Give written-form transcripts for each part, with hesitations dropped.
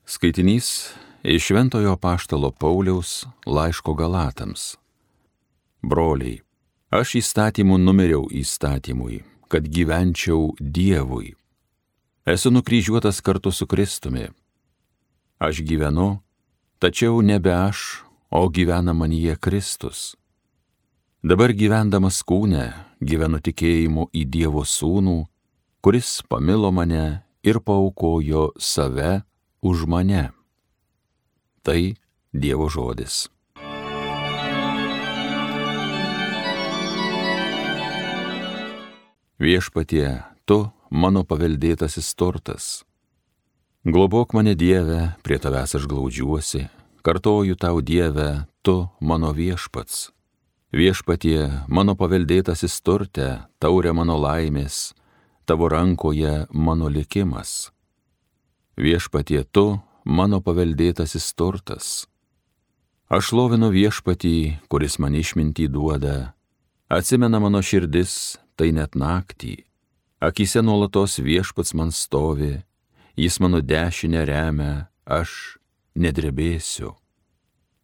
Skaitinys iš Šventojo Apaštalo Pauliaus laiško Galatams. Broliai, aš įstatymų numiriau įstatymui, kad gyvenčiau Dievui. Esu nukryžiuotas kartu su Kristumi. Aš gyvenu, tačiau nebe aš, o gyvena manyje Kristus. Dabar gyvendamas kūne, gyvenu tikėjimu į Dievo Sūnų, kuris pamilo mane ir paaukojo save už mane. Tai Dievo žodis. Viešpatie, tu mano paveldėtasis turtas. Globok mane, Dieve, prie tavęs aš glaudžiuosi, kartoju tau, Dieve, tu mano viešpats. Viešpatie, mano paveldėtasis turte, taurė mano laimės, tavo rankoje mano likimas. Viešpatie, tu mano paveldėtasis turtas. Aš šlovinu Viešpatį, kuris man išmintį duoda. Atsimena mano širdis, tai net naktį. Akyse nuolatos Viešpats man stovi, jis mano dešinę remia, aš nedrebėsiu.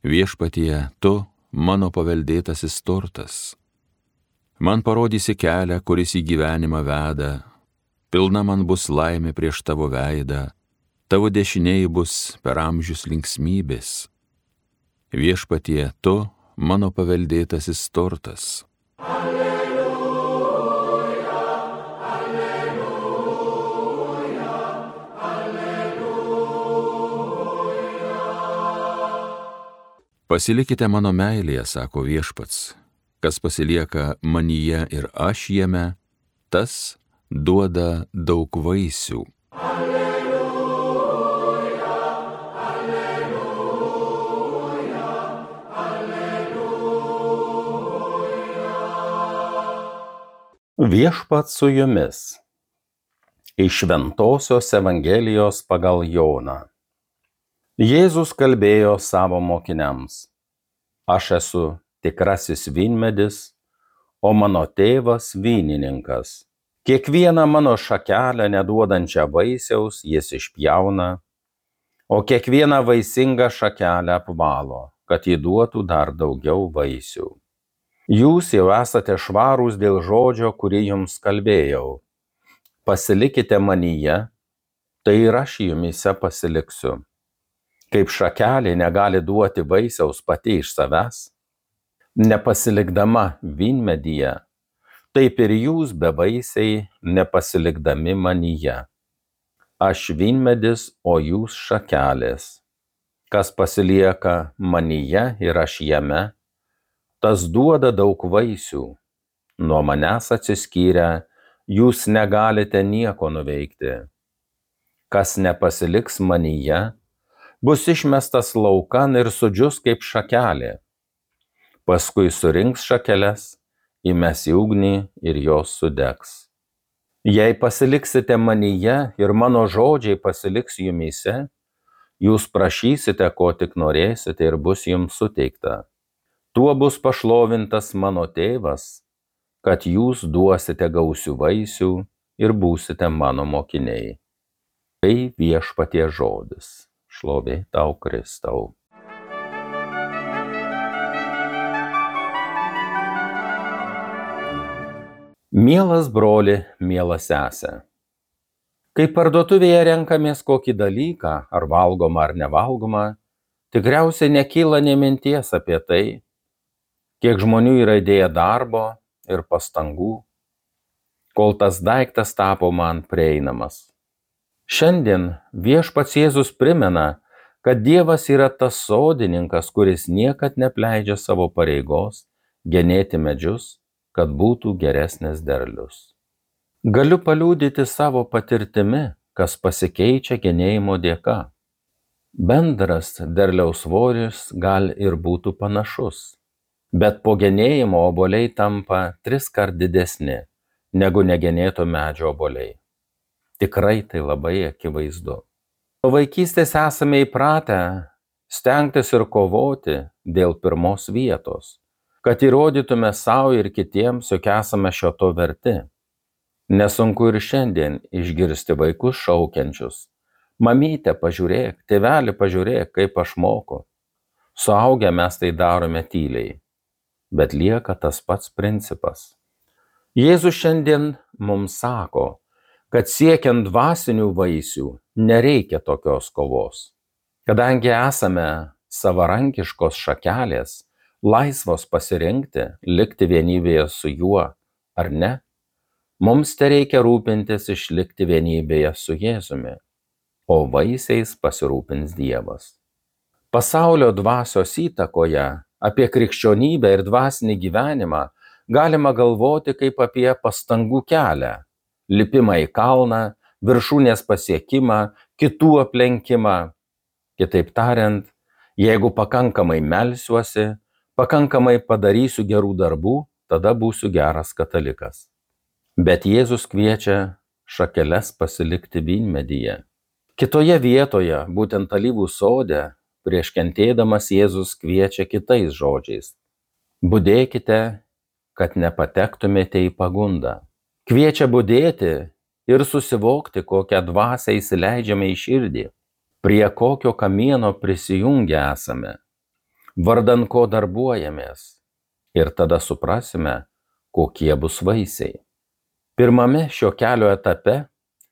Viešpatie, tu mano paveldėtasis turtas. Man parodysi kelią, kuris į gyvenimą veda. Pilna man bus laimė prieš tavo veidą. Tavo dešinėj bus per amžius linksmybės. Viešpatie, tu mano paveldėtasis turtas. Alleluja, alleluja, alleluja. Pasilikite mano meilėje, sako Viešpats. Kas pasilieka manyje ir aš jame, tas duoda daug vaisių. Viešpats su jumis. Iš Šventosios Evangelijos pagal Joną. Jėzus kalbėjo savo mokiniams: Aš esu tikrasis vynmedis, o mano tėvas vynininkas. Kiekvieną mano šakelę neduodančią vaisiaus jis išpjauna, o kiekvieną vaisingą šakelę apvalo, kad ji duotų dar daugiau vaisių. Jūs jau esate švarūs dėl žodžio, kurį jums kalbėjau. Pasilikite manyje, tai ir aš jumyse pasiliksiu. Kaip šakelė negali duoti vaisiaus pati iš savęs, nepasilikdama vynmedyje, taip ir jūs bevaisiai nepasilikdami manyje. Aš vynmedis, o jūs šakelės. Kas pasilieka manyje ir aš jame, tas duoda daug vaisių. Nuo manęs atsiskyrę, jūs negalite nieko nuveikti. Kas nepasiliks manyje, bus išmestas laukan ir sudžius kaip šakelė. Paskui surinks šakeles, įmes į ugnį ir jos sudegs. Jei pasiliksite manyje ir mano žodžiai pasiliks jumyse, jūs prašysite, ko tik norėsite ir bus jums suteikta. Tuo bus pašlovintas mano tėvas, kad jūs duosite gausių vaisių ir būsite mano mokiniai. Tai Viešpaties žodis. Šlovė tau, Kristau. Mielas broli, miela sese. Kai parduotuvėje renkamės kokį dalyką, ar valgomą ar nevalgomą, tikriausiai nekyla nė minties apie tai, kiek žmonių yra įdėję darbo ir pastangų, kol tas daiktas tapo man prieinamas. Šiandien Viešpats Jėzus primena, kad Dievas yra tas sodininkas, kuris niekad neapleidžia savo pareigos genėti medžius, kad būtų geresnis derlius. Galiu paliudyti savo patirtimi, kas pasikeičia genėjimo dėka. Bendras derliaus svoris gal ir būtų panašus, bet po genėjimo obuoliai tampa 3 kart didesni negu negenėto medžio obuoliai. Tikrai tai labai akivaizdu. Nuo vaikystės esame įpratę stengtis ir kovoti dėl pirmos vietos, kad įrodytume savo ir kitiems, jog esame šio to verti. Nesunku ir šiandien išgirsti vaikus šaukiančius: Mamyte, pažiūrėk, tėveli, pažiūrėk, kaip aš moku. Suaugę mes tai darome tyliai, bet lieka tas pats principas. Jėzus šiandien mums sako, kad siekiant dvasinių vaisių nereikia tokios kovos. Kadangi esame savarankiškos šakelės, laisvos pasirinkti, likti vienybėje su juo ar ne, mums tereikia rūpintis išlikti vienybėje su Jėzumi, o vaisiais pasirūpins Dievas. Pasaulio dvasios įtakoje apie krikščionybę ir dvasinį gyvenimą galima galvoti kaip apie pastangų kelią, lipimą į kalną, viršūnės pasiekimą, kitų aplenkimą. Kitaip tariant, jeigu pakankamai melsiuosi, pakankamai padarysiu gerų darbų, tada būsiu geras katalikas. Bet Jėzus kviečia šakeles pasilikti vynmedyje. Kitoje vietoje, būtent alyvų sode, prieš kentėdamas Jėzus kviečia kitais žodžiais. Budėkite, kad nepatektumėte į pagundą. Kviečia budėti ir susivokti, kokią dvasią įsileidžiame į širdį, prie kokio kamieno prisijungę esame, vardan ko darbuojamės, ir tada suprasime, kokie bus vaisiai. Pirmame šio kelio etape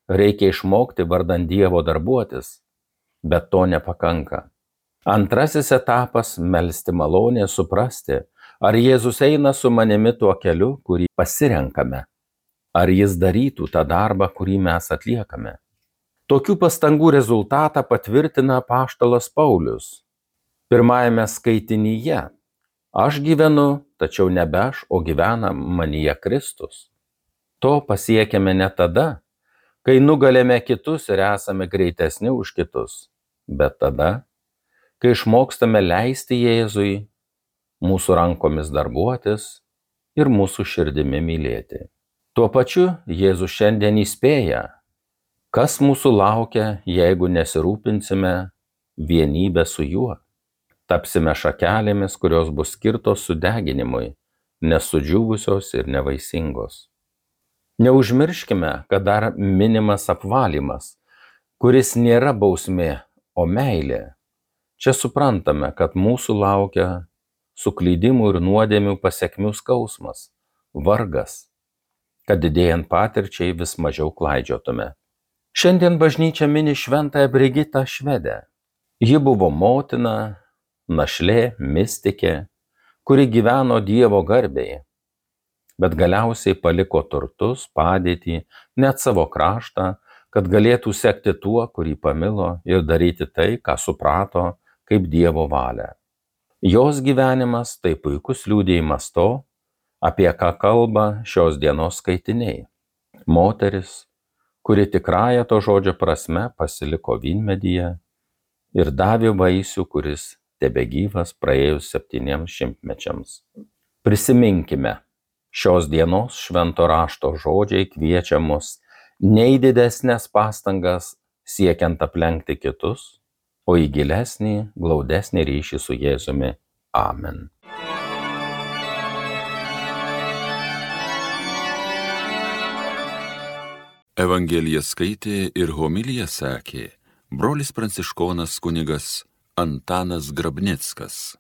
reikia išmokti vardan Dievo darbuotis, bet to nepakanka. Antrasis etapas – melsti malonę, suprasti, ar Jėzus eina su manimi tuo keliu, kurį pasirenkame, ar jis darytų tą darbą, kurį mes atliekame. Tokių pastangų rezultatą patvirtina apaštalas Paulius. Pirmajame skaitinyje: aš gyvenu, tačiau nebe aš, o gyvena manyje Kristus. To pasiekėme ne tada, kai nugalėme kitus ir esame greitesni už kitus, bet tada, kai išmokstame leisti Jėzui mūsų rankomis darbuotis ir mūsų širdimi mylėti. Tuo pačiu Jėzus šiandien įspėja, kas mūsų laukia, jeigu nesirūpinsime vienybę su juo. Tapsime šakelėmis, kurios bus skirtos sudeginimui, nesudžiūvusios ir nevaisingos. Neužmirškime, kad dar minimas apvalymas, kuris nėra bausmė, o meilė. Čia suprantame, kad mūsų laukia suklydimų ir nuodėmių pasekmių skausmas, vargas, kad didėjant patirčiai vis mažiau klaidžiotume. Šiandien bažnyčia mini šventąją Brigitą Švedę. Ji buvo motina, našlė, mistikė, kuri gyveno Dievo garbėje, bet galiausiai paliko turtus, padėtį, net savo kraštą, kad galėtų sekti tuo, kurį pamilo, ir daryti tai, ką suprato kaip Dievo valią. Jos gyvenimas tai puikus liudijimas to, apie ką kalba šios dienos skaitiniai. Moteris, kuri tikrąja to žodžio prasme pasiliko vynmedyje ir davė vaisių, kuris tebegyvas praėjus 7 šimtmečiams. Prisiminkime, šios dienos švento rašto žodžiai kviečia mus ne į didesnės pastangas siekiant aplenkti kitus, o į gilesnį, glaudesnį ryšį su Jėzumi. Amen. Evangeliją skaitė ir homiliją sakė brolis pranciškonas kunigas Antanas Grabnickas.